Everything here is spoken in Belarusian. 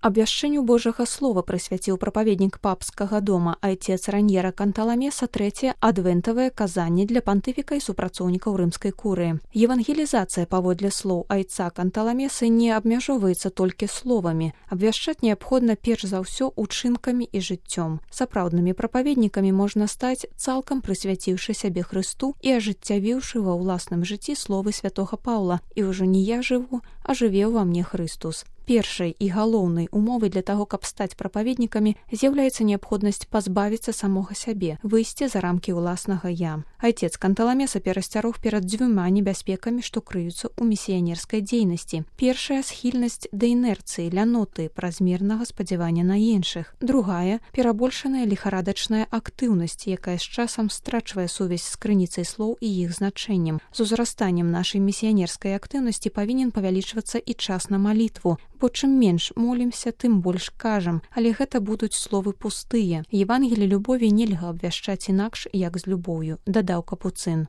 Абвяшчэнню Божага слова прысвяціў прапаведнік папскага дома айцец Раньера Канталамеса трэцяе адвентавае казанне для пантыфіка і супрацоўнікаў рымскай курыі. Евангелізацыя паводле слоў айца Канталамесы не абмяжоўваецца толькі словамі. Абвяшчаць неабходна перш за ўсё учынкамі і жыццём. Сапраўднымі прапаведнікамі можна стаць, цалкам прысвяціўшы сябе Хрысту і ажыццявіўшы ва ўласным жыцці словы святога Паўла: «І ўжо не я жыву, а жыве ўва мне Хрыстус». Першай і галоўнай умовай для таго, каб стаць прапаведнікамі, з'яўляецца неабходнасць пазбавіцца самога сябе, выйсці за рамкі ўласнага «я». Айцец Канталамеса перасцярог перад дзвюма небяспекамі, што крыюцца ў місіянерскай дзейнасці. Першая — схільнасць да інерцыі, ляноты, празмернага спадзявання на іншых. Другая — перабольшаная ліхарадачная актыўнасць, якая з часам страчвае сувязь з крыніцай слоў і іх значэннем. З узрастаннем нашай місіянерскай актыўнасці павінен павялічвацца і час на малітву, бо чым менш молімся, тым больш кажам, але гэта будуць словы пустыя. Евангелі любові нельга абвяшчаць інакш, як з любоўю, дадаў капуцын.